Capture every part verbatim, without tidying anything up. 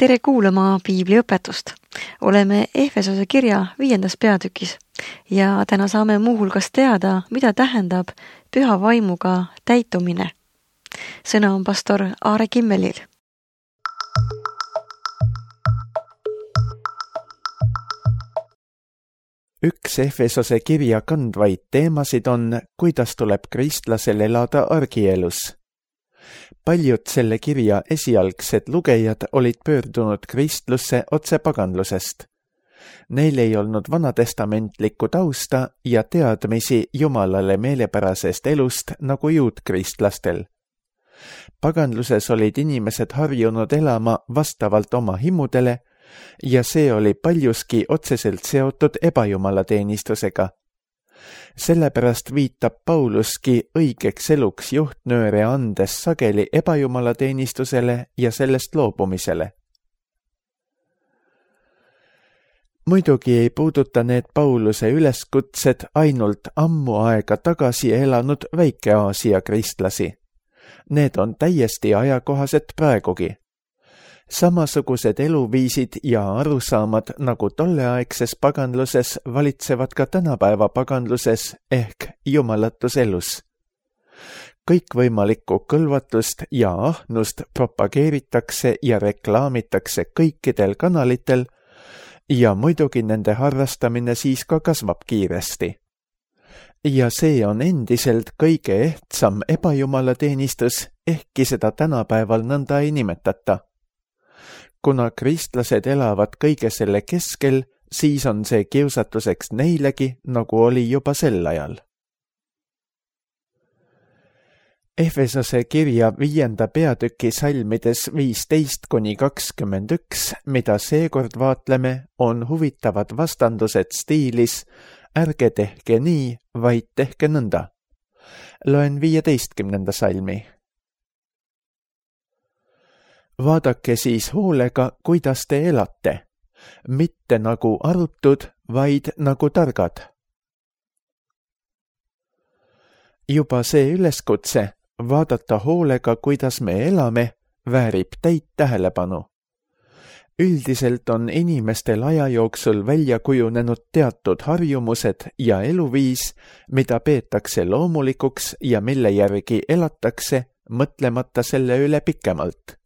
Tere kuulama piibliõpetust. Oleme Efesose kirja viiendas peatükis ja täna saame muuhulgas teada, mida tähendab püha vaimuga täitumine. Sõna on pastor Aare Kimmelil. Üks Efesose kirja kandvaid teemasid on, kuidas tuleb kristlasel elada argielus. Paljud selle kirja esialgsed lugejad olid pöördunud kristlusse otse paganlusest. Neil ei olnud vanatestamentlikku tausta ja teadmisi Jumalale meelepärasest elust nagu juutkristlastel. Paganluses olid inimesed harjunud elama vastavalt oma himudele ja see oli paljuski otseselt seotud ebajumalateenistusega. Sellepärast viitab Pauluski õigeks eluks juhtnööre andes sageli ebajumalateenistusele ja sellest loobumisele. Muidugi ei puuduta need Pauluse üleskutsed ainult ammu aega tagasi elanud Väike-Aasia kristlasi. Need on täiesti ajakohased praegugi. Samasugused eluviisid ja arusaamad nagu tolleaegses paganluses valitsevad ka tänapäeva paganluses ehk jumalatus elus. Kõikvõimalikku kõlvatust ja ahnust propageeritakse ja reklaamitakse kõikidel kanalitel ja muidugi nende harrastamine siis ka kasvab kiiresti. Ja see on endiselt kõige ehtsam ebajumalateenistus, ehkki seda tänapäeval nõnda ei nimetata. Kuna kristlased elavad kõige selle keskel, siis on see kiusatuseks neilegi, nagu oli juba sel ajal. Efesose kirja viienda peatüki salmides viisteist kuni kakskümmend üks, mida seekord vaatleme, on huvitavad vastandused stiilis ärge tehke nii, vaid tehke nõnda. Loen viieteistkümnenda salmi. Vaadake siis hoolega, kuidas te elate, mitte nagu arutud, vaid nagu targad. Juba see üleskutse, vaadata hoolega, kuidas me elame, väärib täit tähelepanu. Üldiselt on inimestel aja jooksul välja kujunenud teatud harjumused ja eluviis, mida peetakse loomulikuks ja mille järgi elatakse, mõtlemata selle üle pikemalt.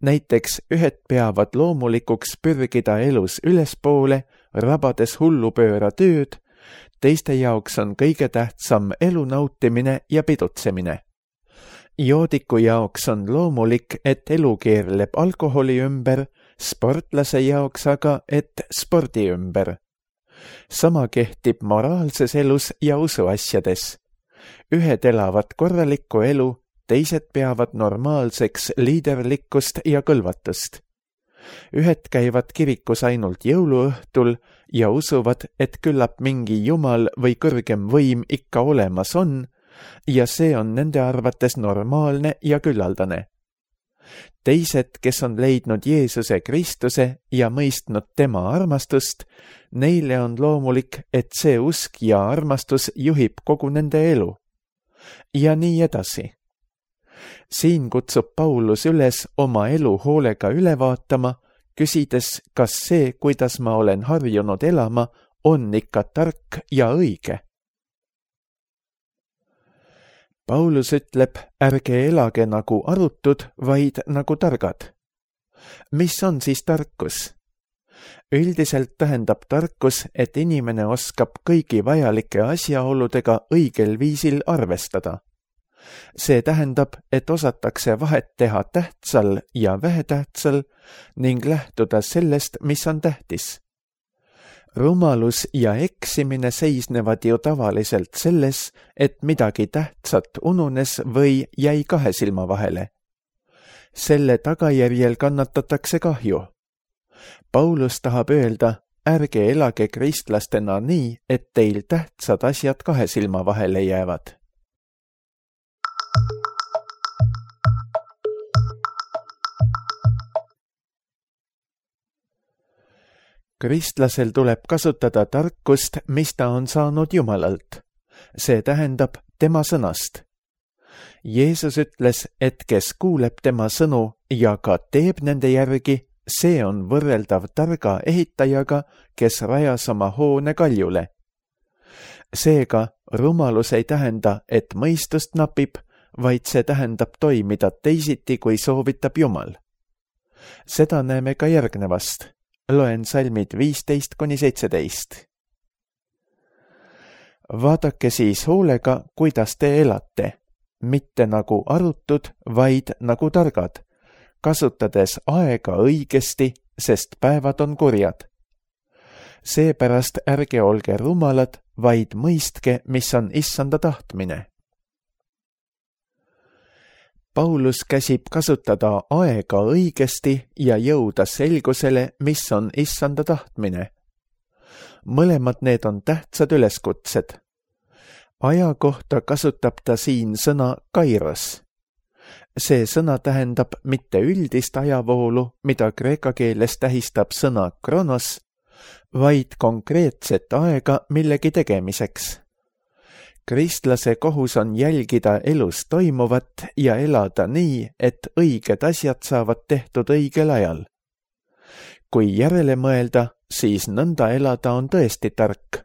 Näiteks ühed peavad loomulikuks pürgida elus ülespoole, rabades hullupööra tööd, teiste jaoks on kõige tähtsam elu nautimine ja pidutsemine. Joodiku jaoks on loomulik, et elu keerleb alkoholi ümber, sportlase jaoks aga, et spordi ümber. Sama kehtib moraalses elus ja usuasjades. Ühed elavad korralikku elu, teised peavad normaalseks liiderlikkust ja kõlvatust. Ühed käivad kirikus ainult jõuluõhtul ja usuvad, et küllap mingi jumal või kõrgem võim ikka olemas on ja see on nende arvates normaalne ja küllaldane. Teised, kes on leidnud Jeesuse Kristuse ja mõistnud tema armastust, neile on loomulik, et see usk ja armastus juhib kogu nende elu. Ja nii edasi. Siin kutsub Paulus üles oma elu hoolega üle vaatama, küsides, kas see, kuidas ma olen harjunud elama, on ikka tark ja õige. Paulus ütleb, ärge elage nagu arutud, vaid nagu targad. Mis on siis tarkus? Üldiselt tähendab tarkus, et inimene oskab kõigi vajalike asjaoludega õigel viisil arvestada. See tähendab, et osatakse vahet teha tähtsal ja vähetähtsal ning lähtuda sellest, mis on tähtis. Rumalus ja eksimine seisnevad ju tavaliselt selles, et midagi tähtsat ununes või jäi kahe silma vahele. Selle tagajärjel kannatatakse kahju. Paulus tahab öelda, ärge elage kristlastena nii, et teil tähtsad asjad kahe silma vahele jäävad. Kristlasel tuleb kasutada tarkust, mis ta on saanud Jumalalt. See tähendab tema sõnast. Jeesus ütles, et kes kuuleb tema sõnu ja ka teeb nende järgi, see on võrreldav targa ehitajaga, kes rajas oma hoone kaljule. Seega rumalus ei tähenda, et mõistust napib, vaid see tähendab toimida teisiti, kui soovitab Jumal. Seda näeme ka järgnevast. Loen salmid viisteist kuni seitseteist. Vaadake siis hoolega, kuidas te elate, mitte nagu arutud, vaid nagu targad, kasutades aega õigesti, sest päevad on kurjad. Seepärast ärge olge rumalad, vaid mõistke, mis on issanda tahtmine. Paulus käsib kasutada aega õigesti ja jõuda selgusele, mis on issanda tahtmine. Mõlemad need on tähtsad üleskutsed. Aja kohta kasutab ta siin sõna kairos. See sõna tähendab mitte üldist ajavoolu, mida kreeka keeles tähistab sõna kronos, vaid konkreetset aega millegi tegemiseks. Kristlase kohus on jälgida elus toimuvat ja elada nii, et õiged asjad saavad tehtud õigel ajal. Kui järele mõelda, siis nõnda elada on tõesti tark.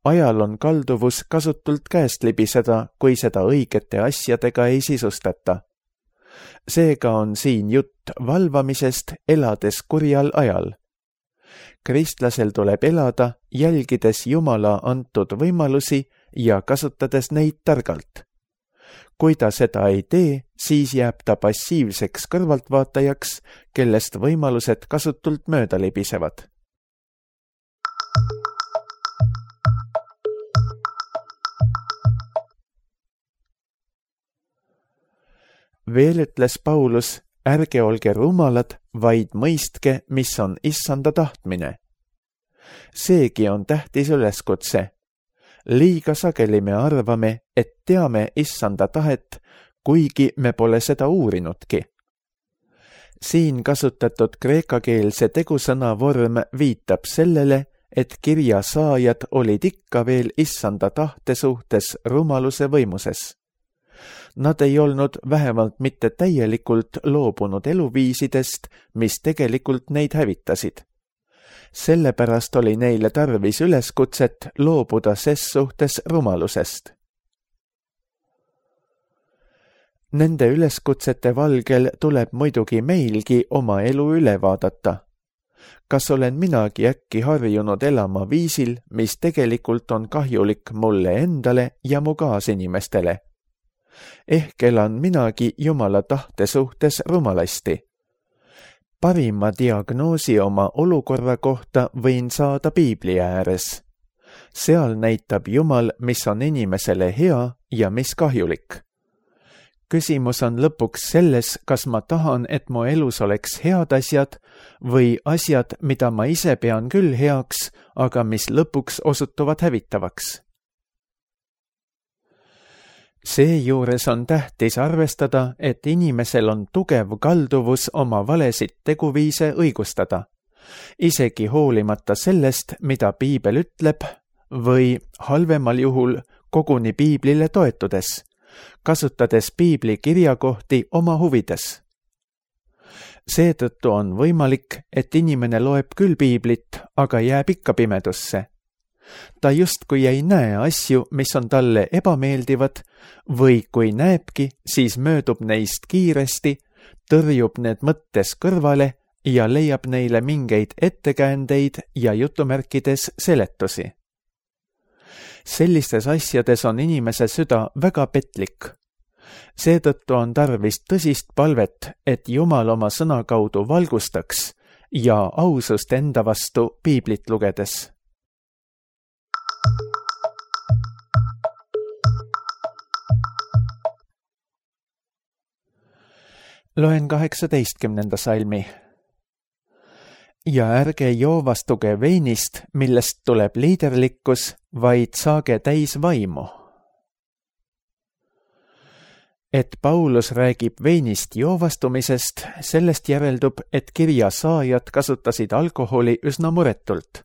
Ajal on kalduvus kasutult käest libiseda, kui seda õigete asjadega ei sisustata. Seega on siin jutt valvamisest, elades kurjal ajal. Kristlasel tuleb elada, jälgides Jumala antud võimalusi ja kasutades neid targalt. Kui ta seda ei tee, siis jääb ta passiivseks kõrvaltvaatajaks, kellest võimalused kasutult mööda libisevad. Veel ütles Paulus, ärge olge rumalad, vaid mõistke, mis on issanda tahtmine. Seegi on tähtis üleskutse. Liiga sageli me arvame, et teame issanda tahet, kuigi me pole seda uurinudki. Siin kasutatud kreekakeelse tegusõna vorm viitab sellele, et kirja saajad olid ikka veel issanda tahte suhtes rumaluse võimuses. Nad ei olnud vähemalt mitte täielikult loobunud eluviisidest, mis tegelikult neid hävitasid. Sellepärast oli neile tarvis üleskutset loobuda ses suhtes rumalusest. Nende üleskutsete valgel tuleb muidugi meilgi oma elu üle vaadata. Kas olen minagi äkki harjunud elama viisil, mis tegelikult on kahjulik mulle endale ja mu kaasinimestele? Ehk elan minagi Jumala tahte suhtes rumalasti. Parima diagnoosi oma olukorra kohta võin saada Piibli ääres. Seal näitab Jumal, mis on inimesele hea ja mis kahjulik. Küsimus on lõpuks selles, kas ma tahan, et mu elus oleks head asjad või asjad, mida ma ise pean küll heaks, aga mis lõpuks osutuvad hävitavaks. Seejuures on tähtis arvestada, et inimesel on tugev kalduvus oma valesid teguviise õigustada, isegi hoolimata sellest, mida Piibel ütleb, või halvemal juhul koguni Piiblile toetudes, kasutades Piibli kirjakohti oma huvides. Seetõttu on võimalik, et inimene loeb küll Piiblit, aga jääb ikka pimedusse. Ta justkui ei näe asju, mis on talle ebameeldivad, või kui näebki, siis möödub neist kiiresti, tõrjub need mõttes kõrvale ja leiab neile mingeid ettekäändeid ja jutumärkides seletusi. Sellistes asjades on inimese süda väga petlik. Seetõttu on tarvis tõsist palvet, et Jumal oma sõna kaudu valgustaks ja ausust enda vastu Piiblit lugedes. Loen kaheksateistkümnenda salmi. Ja ärge joovastuge veinist, millest tuleb liiderlikkus, vaid saage täis vaimu. Et Paulus räägib veinist joovastumisest, sellest järeldub, et kirja saajad kasutasid alkoholi üsna muretult.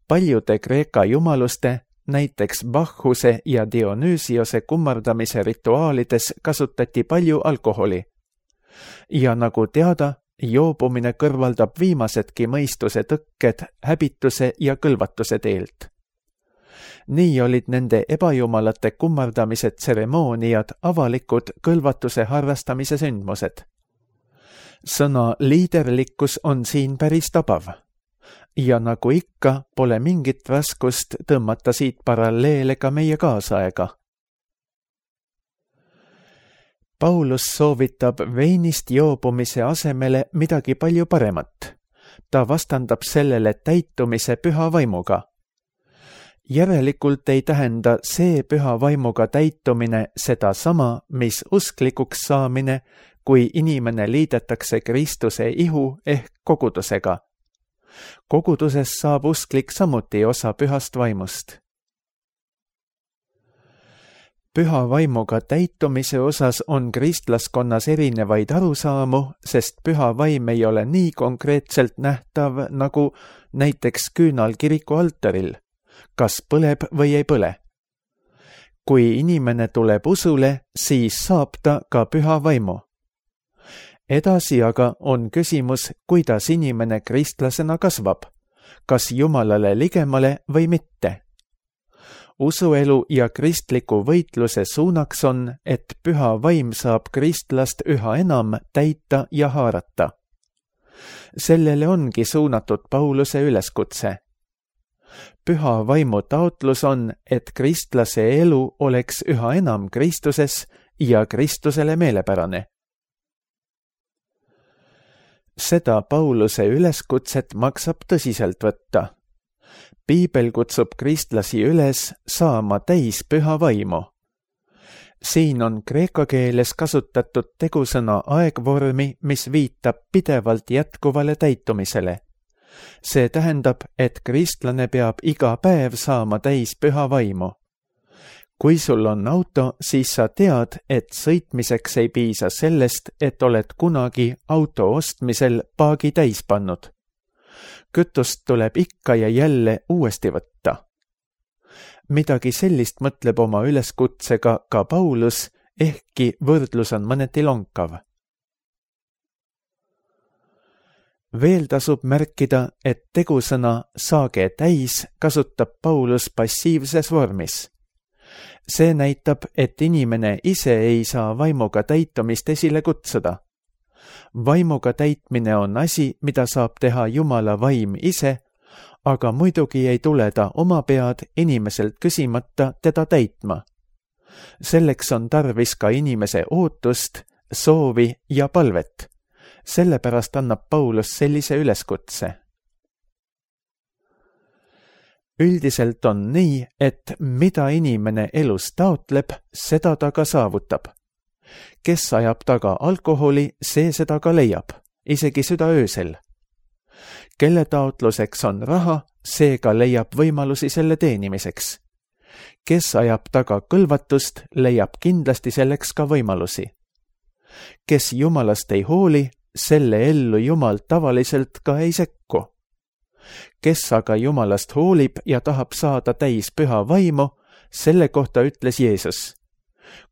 Paljude Kreeka jumaluste, näiteks Bacchuse ja Dionüüsiose kummardamise rituaalides kasutati palju alkoholi. Ja nagu teada, joobumine kõrvaldab viimasedki mõistuse tõkked häbituse ja kõlvatuse teelt. Nii olid nende ebajumalate kummardamise tseremooniad avalikud kõlvatuse harrastamise sündmused. Sõna liiderlikkus on siin päris tabav. Ja nagu ikka, pole mingit raskust tõmmata siit paralleele ka meie kaasaega. Paulus soovitab veinist joobumise asemele midagi palju paremat. Ta vastandab sellele täitumise püha vaimuga. Järelikult ei tähenda see püha vaimuga täitumine seda sama, mis usklikuks saamine, kui inimene liidetakse Kristuse ihu ehk kogudusega. Koguduses saab usklik samuti osa pühast vaimust. Püha vaimuga täitumise osas on kristlaskonnas erinevaid arusaamu, sest püha vaim ei ole nii konkreetselt nähtav nagu näiteks küünal kiriku altaril, kas põleb või ei põle. Kui inimene tuleb usule, siis saab ta ka püha vaimu. Edasi aga on küsimus, kuidas inimene kristlasena kasvab, kas Jumalale ligemale või mitte. Usuelu ja kristliku võitluse suunaks on, et püha vaim saab kristlast üha enam täita ja haarata. Sellele ongi suunatud Pauluse üleskutse. Püha vaimu taotlus on, et kristlase elu oleks üha enam Kristuses ja Kristusele meelepärane. Seda Pauluse üleskutset maksab tõsiselt võtta. Piibel kutsub kristlasi üles saama täis püha vaimu. Siin on kreeka keeles kasutatud tegusõna aegvormi, mis viitab pidevalt jätkuvale täitumisele. See tähendab, et kristlane peab iga päev saama täis püha vaimu. Kui sul on auto, siis sa tead, et sõitmiseks ei piisa sellest, et oled kunagi auto ostmisel paagi täis pannud. Kütust tuleb ikka ja jälle uuesti võtta. Midagi sellist mõtleb oma üleskutsega ka Paulus, ehkki võrdlus on mõneti lonkav. Veel tasub märkida, et tegusõna saage täis kasutab Paulus passiivses vormis. See näitab, et inimene ise ei saa vaimuga täitumist esile kutsuda. Vaimuga täitmine on asi, mida saab teha Jumala vaim ise, aga muidugi ei tule ta oma pead inimeselt küsimata teda täitma. Selleks on tarvis ka inimese ootust, soovi ja palvet. Sellepärast annab Paulus sellise üleskutse. Üldiselt on nii, et mida inimene elus taotleb, seda ta ka saavutab. Kes ajab taga alkoholi, see seda ka leiab, isegi südaöösel. Kelle taotluseks on raha, see ka leiab võimalusi selle teenimiseks. Kes ajab taga kõlvatust, leiab kindlasti selleks ka võimalusi. Kes Jumalast ei hooli, selle ellu Jumal tavaliselt ka ei sekku. Kes aga Jumalast hoolib ja tahab saada täis püha vaimu, selle kohta ütles Jeesus.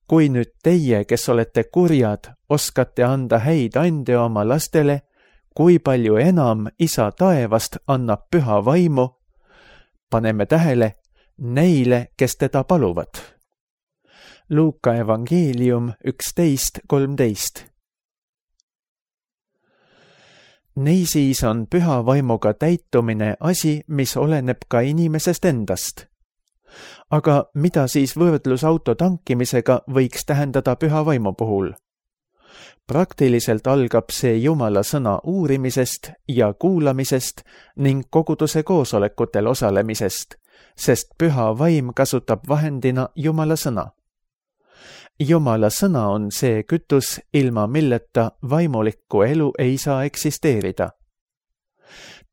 Kui nüüd teie, kes olete kurjad, oskate anda häid ande oma lastele, kui palju enam Isa taevast annab püha vaimu, paneme tähele, neile, kes teda paluvad. Luuka evangeelium üksteist kolmteist. Niisiis on püha vaimuga täitumine asi, mis oleneb ka inimesest endast. Aga mida siis võrdlus auto tankimisega võiks tähendada püha vaimu puhul? Praktiliselt algab see Jumala sõna uurimisest ja kuulamisest ning koguduse koosolekutel osalemisest, sest püha vaim kasutab vahendina Jumala sõna. Jumala sõna on see kütus, ilma milleta vaimulikku elu ei saa eksisteerida.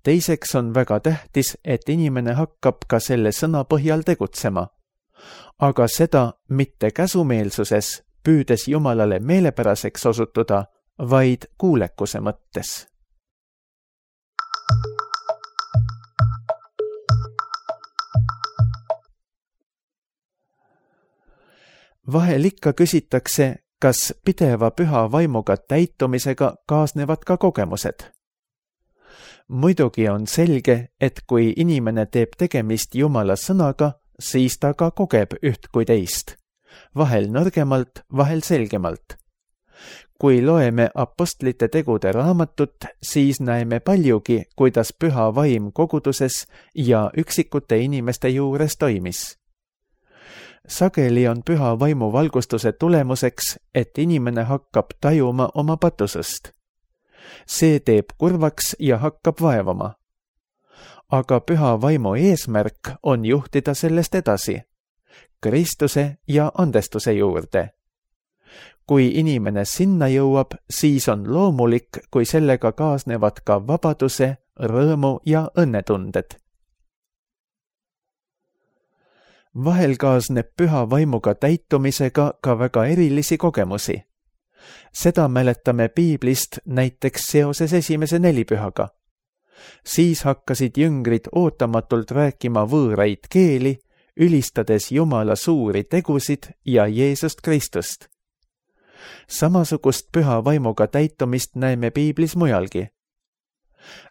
Teiseks on väga tähtis, et inimene hakkab ka selle sõna põhjal tegutsema, aga seda mitte käsumeelsuses, püüdes Jumalale meelepäraseks osutuda, vaid kuulekuse mõttes. Vahel ikka küsitakse, kas pideva püha vaimuga täitumisega kaasnevad ka kogemused? Muidugi on selge, et kui inimene teeb tegemist Jumala sõnaga, siis ta ka kogeb üht kui teist, vahel nõrgemalt, vahel selgemalt. Kui loeme apostlite tegude raamatut, siis näeme paljugi, kuidas püha vaim koguduses ja üksikute inimeste juures toimis. Sageli on püha vaimu valgustuse tulemuseks, et inimene hakkab tajuma oma patusest. See teeb kurvaks ja hakkab vaevama. Aga püha vaimu eesmärk on juhtida sellest edasi, Kristuse ja andestuse juurde. Kui inimene sinna jõuab, siis on loomulik, kui sellega kaasnevad ka vabaduse, rõõmu ja õnnetunded. Vahel kaasneb püha vaimuga täitumisega ka väga erilisi kogemusi. Seda mäletame piiblist näiteks seoses esimese nelipühaga. Siis hakkasid jüngrid ootamatult rääkima võõraid keeli, ülistades Jumala suuri tegusid ja Jeesust Kristust. Samasugust püha vaimuga täitumist näeme piiblis mujalgi.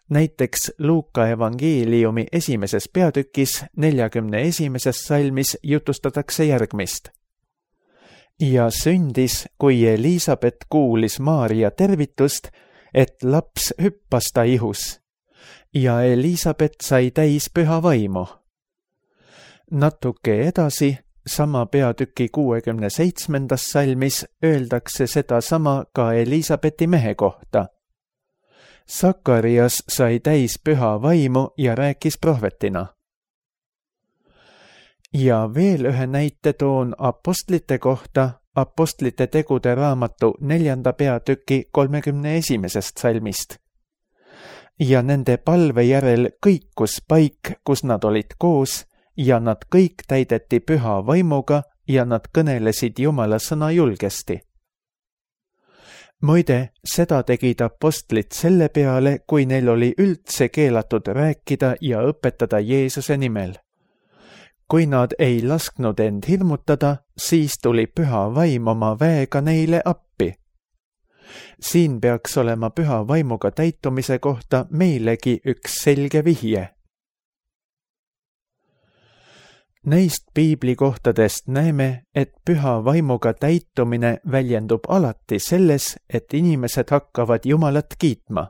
Näiteks Luuka evangeeliumi esimeses peatükis neljakümne esimeses salmis jutustatakse järgmist. Ja sündis, kui Elisabet kuulis Maaria tervitust, et laps hüppas ta ihus. Ja Elisabet sai täis püha vaimu. Natuke edasi, sama peatüki kuuekümne seitsmendas salmis öeldakse seda sama ka Elisabeti mehe kohta. Sakarias sai täis püha vaimu ja rääkis prohvetina. Ja veel ühe näite toon apostlite kohta apostlite tegude raamatu neljanda peatüki kolmekümne esimesest salmist. Ja nende palve järel kõikus paik, kus nad olid koos, ja nad kõik täideti püha vaimuga ja nad kõnelesid Jumala sõna julgesti. Muide, seda tegid apostlid selle peale, kui neil oli üldse keelatud rääkida ja õpetada Jeesuse nimel. Kui nad ei lasknud end hirmutada, siis tuli püha vaim oma väega neile appi. Siin peaks olema püha vaimuga täitumise kohta meilegi üks selge vihje. Neist piiblikohtadest näeme, et püha vaimuga täitumine väljendub alati selles, et inimesed hakkavad Jumalat kiitma.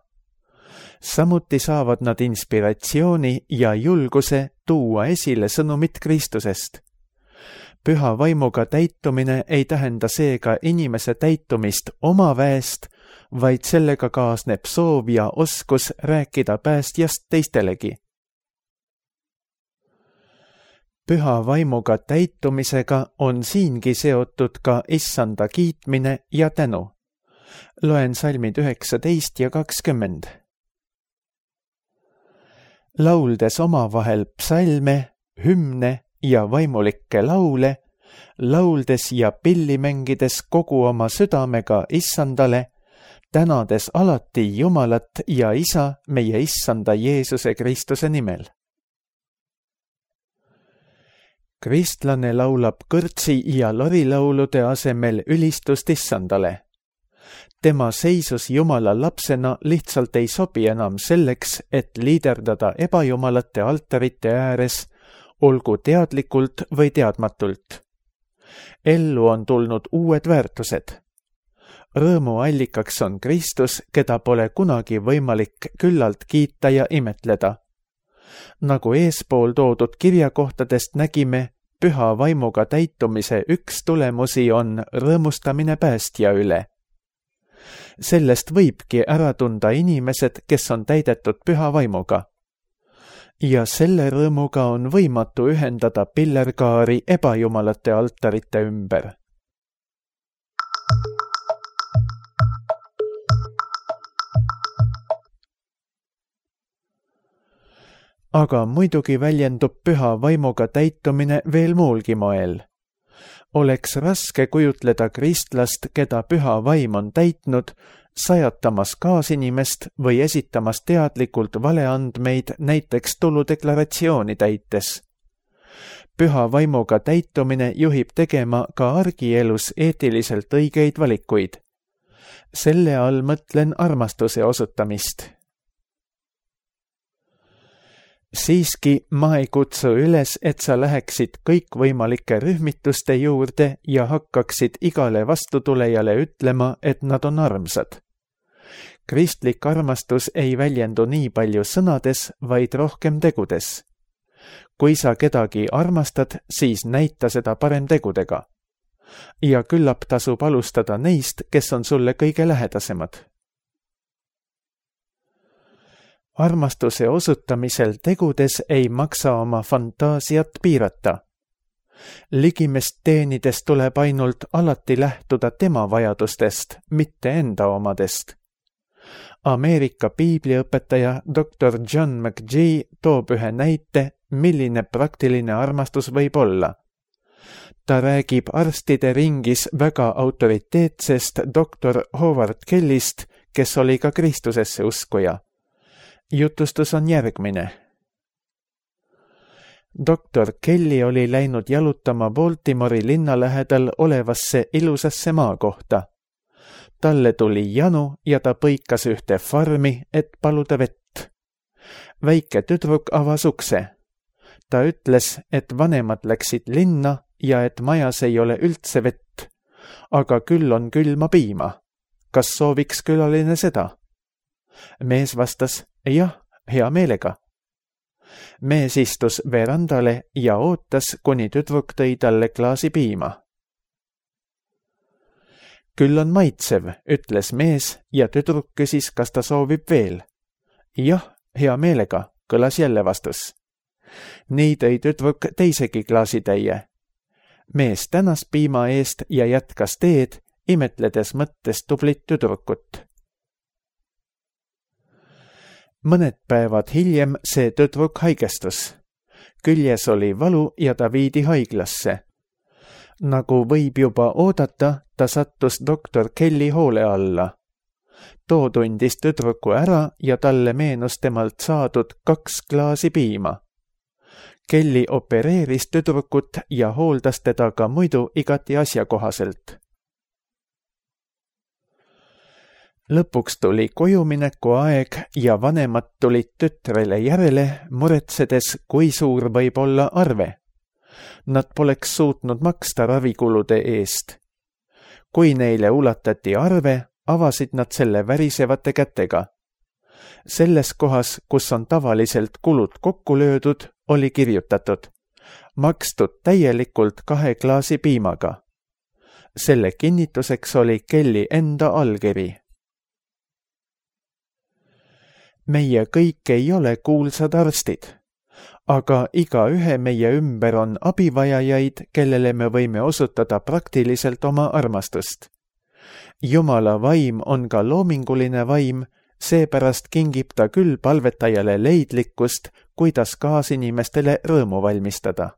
Samuti saavad nad inspiratsiooni ja julguse tuua esile sõnumit Kristusest. Püha vaimuga täitumine ei tähenda seega inimese täitumist oma väest, vaid sellega kaasneb soov ja oskus rääkida päästjast teistelegi. Püha vaimuga täitumisega on siingi seotud ka issanda kiitmine ja tänu. Loen salmid üheksateist ja kakskümmend. Lauldes omavahel psalme, hümne ja vaimulikke laule, lauldes ja pilli mängides kogu oma südamega issandale, tänades alati Jumalat ja Isa meie issanda Jeesuse Kristuse nimel. Kristlane laulab kõrtsi ja lorilaulude asemel ülistust issandale. Tema seisus Jumala lapsena lihtsalt ei sobi enam selleks, et liiderdada ebajumalate altarite ääres, olgu teadlikult või teadmatult. Ellu on tulnud uued väärtused. Rõõmu allikaks on Kristus, keda pole kunagi võimalik küllalt kiita ja imetleda. Nagu eespool toodud kirjakohtadest nägime, püha vaimuga täitumise üks tulemusi on rõõmustamine päästja üle. Sellest võibki ära tunda inimesed, kes on täidetud püha vaimuga. Ja selle rõõmuga on võimatu ühendada pillerkaari ebajumalate altarite ümber. Aga muidugi väljendub püha vaimuga täitumine veel muulgi moel. Oleks raske kujutleda kristlast, keda püha vaim on täitnud, sajatamas kaasinimest või esitamas teadlikult valeandmeid näiteks tuludeklaratsiooni täites. püha vaimuga täitumine juhib tegema ka argielus eetiliselt õigeid valikuid. Selle all mõtlen armastuse osutamist. Siiski ma ei kutsu üles, et sa läheksid kõikvõimalike rühmituste juurde ja hakkaksid igale vastutulejale ütlema, et nad on armsad. Kristlik armastus ei väljendu nii palju sõnades, vaid rohkem tegudes. Kui sa kedagi armastad, siis näita seda parem tegudega. Ja küllap tasub alustada neist, kes on sulle kõige lähedasemad. Armastuse osutamisel tegudes ei maksa oma fantaasiat piirata. Ligimest teenides tuleb ainult alati lähtuda tema vajadustest, mitte enda omadest. Ameerika piibliõpetaja doktor John McGee toob ühe näite, milline praktiline armastus võib olla. Ta räägib arstide ringis väga autoriteetsest doktor Howard Kellist, kes oli ka Kristusesse uskuja. Jutustus on järgmine. doktor Kelly oli läinud jalutama Baltimori linna lähedal olevasse ilusasse maakohta. Talle tuli janu ja ta põikas ühte farmi, et paluda vett. Väike tüdruk avas ukse. Ta ütles, et vanemad läksid linna ja et majas ei ole üldse vett, aga küll on külma piima. Kas sooviks külaline seda? Mees vastas, jah, hea meelega. Mees istus verandale ja ootas, kuni tüdruk tõi talle klaasi piima. Küll on maitsev, ütles mees ja tüdruk küsis, kas ta soovib veel. Jah, hea meelega, kõlas jälle vastus. Nii tõi tüdruk teisegi klaasitäie. Mees tänas piima eest ja jätkas teed, imetledes mõttes tublit tüdrukut. Mõned päevad hiljem see tüdruk haigestus. Küljes oli valu ja ta viidi haiglasse. Nagu võib juba oodata, ta sattus doktor Kelly hoole alla. Too tundis tüdruku ära ja talle meenus temalt saadud kaks klaasi piima. Kelly opereeris tüdrukut ja hooldas teda ka muidu igati asjakohaselt. Lõpuks tuli kojumineku aeg ja vanemad tulid tütrele järele, muretsedes, kui suur võib olla arve. Nad poleks suutnud maksta ravikulude eest. Kui neile ulatati arve, avasid nad selle värisevate kätega. Selles kohas, kus on tavaliselt kulud kokku löödud, oli kirjutatud, makstud täielikult kahe klaasi piimaga. Selle kinnituseks oli Kelly enda allkiri. Meie kõik ei ole kuulsad arstid, aga iga ühe meie ümber on abivajajaid, kellele me võime osutada praktiliselt oma armastust. Jumala vaim on ka loominguline vaim, seepärast kingib ta küll palvetajale leidlikkust, kuidas kaasinimestele rõõmu valmistada.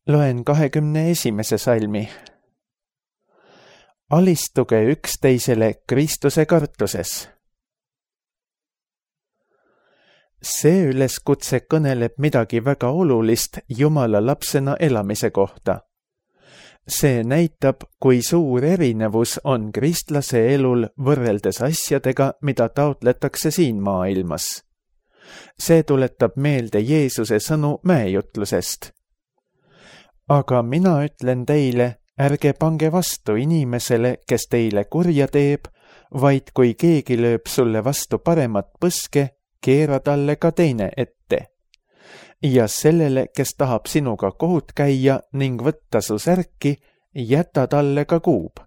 Loen kahekümne esimese salmi. Alistuge üksteisele Kristuse kartuses. See üleskutse kõneleb midagi väga olulist Jumala lapsena elamise kohta. See näitab, kui suur erinevus on kristlase elul võrreldes asjadega, mida taotletakse siin maailmas. See tuletab meelde Jeesuse sõnu mäejutlusest. Aga mina ütlen teile, ärge pange vastu inimesele, kes teile kurja teeb, vaid kui keegi lööb sulle vastu paremat põske, keera talle ka teine ette. Ja sellele, kes tahab sinuga kohut käia ning võtta su särki, jäta talle ka kuub.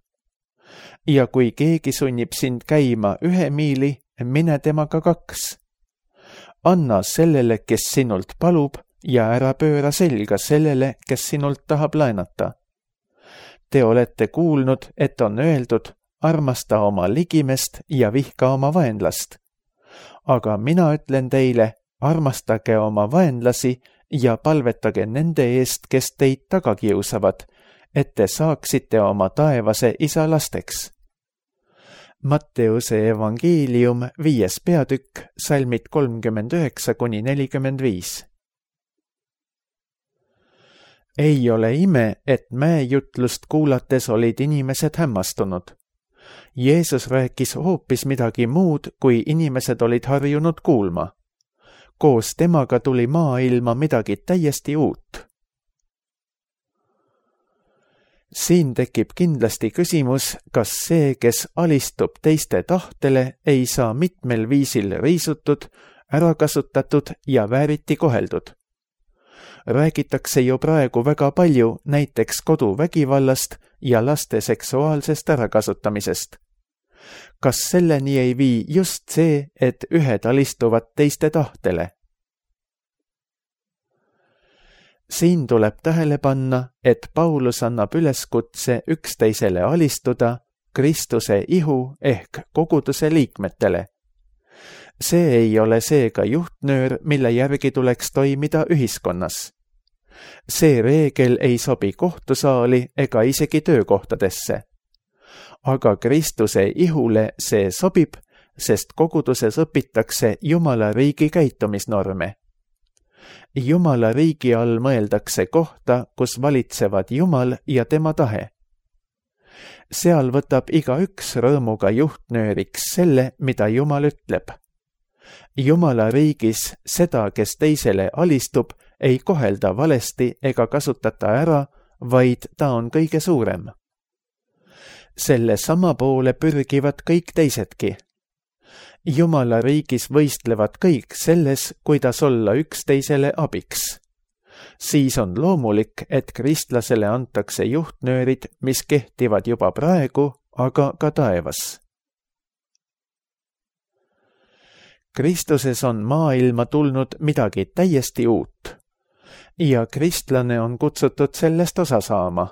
Ja kui keegi sunnib sind käima ühe miili, mine temaga kaks. Anna sellele, kes sinult palub, ja ära pööra selga sellele, kes sinult tahab laenata. Te olete kuulnud, et on öeldud, armasta oma ligimest ja vihka oma vaenlast. Aga mina ütlen teile, armastage oma vaenlasi ja palvetage nende eest, kes teid taga kiusavad, et te saaksite oma taevase isa lasteks. Matteuse evangeelium viies peatükk, salmid kolmkümmend üheksa kuni nelikümmend viis. Ei ole ime, et mäejutlust kuulates olid inimesed hämmastunud. Jeesus rääkis hoopis midagi muud, kui inimesed olid harjunud kuulma. Koos temaga tuli maailma midagi täiesti uut. Siin tekib kindlasti küsimus, kas see, kes alistub teiste tahtele, ei saa mitmel viisil riisutud, ära kasutatud ja vääriti koheldud. Räägitakse ju praegu väga palju näiteks koduvägivallast ja laste seksuaalsest ärakasutamisest. Kas selleni ei vii just see, et ühed alistuvad teiste tahtele? Siin tuleb tähele panna, et Paulus annab üleskutse üksteisele alistuda Kristuse ihu ehk koguduse liikmetele. See ei ole seega juhtnöör, mille järgi tuleks toimida ühiskonnas. See reegel ei sobi kohtusaali ega isegi töökohtadesse. Aga Kristuse ihule see sobib, sest koguduses õpitakse Jumala riigi käitumisnorme. Jumala riigi all mõeldakse kohta, kus valitsevad Jumal ja tema tahe. Seal võtab igaüks rõõmuga juhtnööriks selle, mida Jumal ütleb. Jumala riigis seda, kes teisele alistub, ei kohelda valesti ega kasutata ära, vaid ta on kõige suurem. Selle sama poole pürgivad kõik teisedki. Jumala riigis võistlevad kõik selles, kuidas olla üksteisele abiks. Siis on loomulik, et kristlasele antakse juhtnöörid, mis kehtivad juba praegu, aga ka taevas. Kristuses on maailma tulnud midagi täiesti uut ja kristlane on kutsutud sellest osa saama.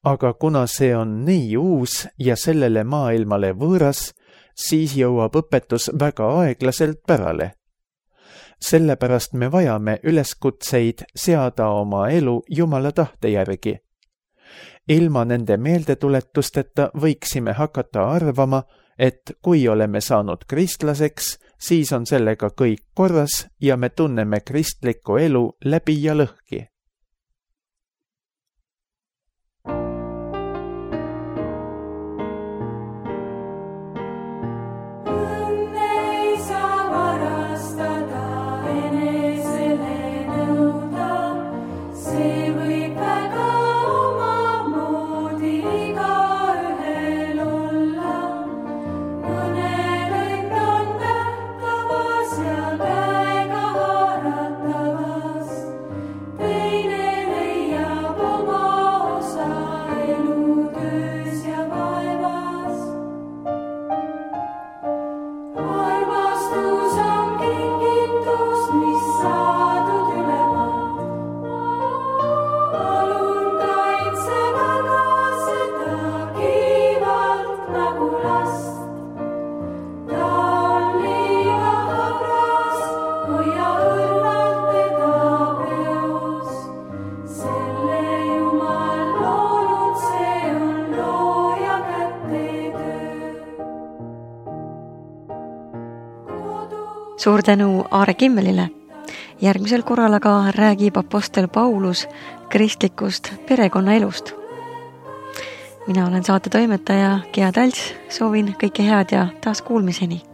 Aga kuna see on nii uus ja sellele maailmale võõras, siis jõuab õpetus väga aeglaselt pärale. Sellepärast me vajame üleskutseid seada oma elu Jumala tahte järgi. Ilma nende meeldetuletusteta võiksime hakata arvama, et kui oleme saanud kristlaseks, siis on sellega kõik korras ja me tunneme kristlikku elu läbi ja lõhki. Suur tänu Aare Kimmelile. Järgmisel korral aga räägib apostel Paulus kristlikust perekonnaelust. Mina olen saate toimetaja Gea Talts, soovin kõike head ja taas kuulmiseni.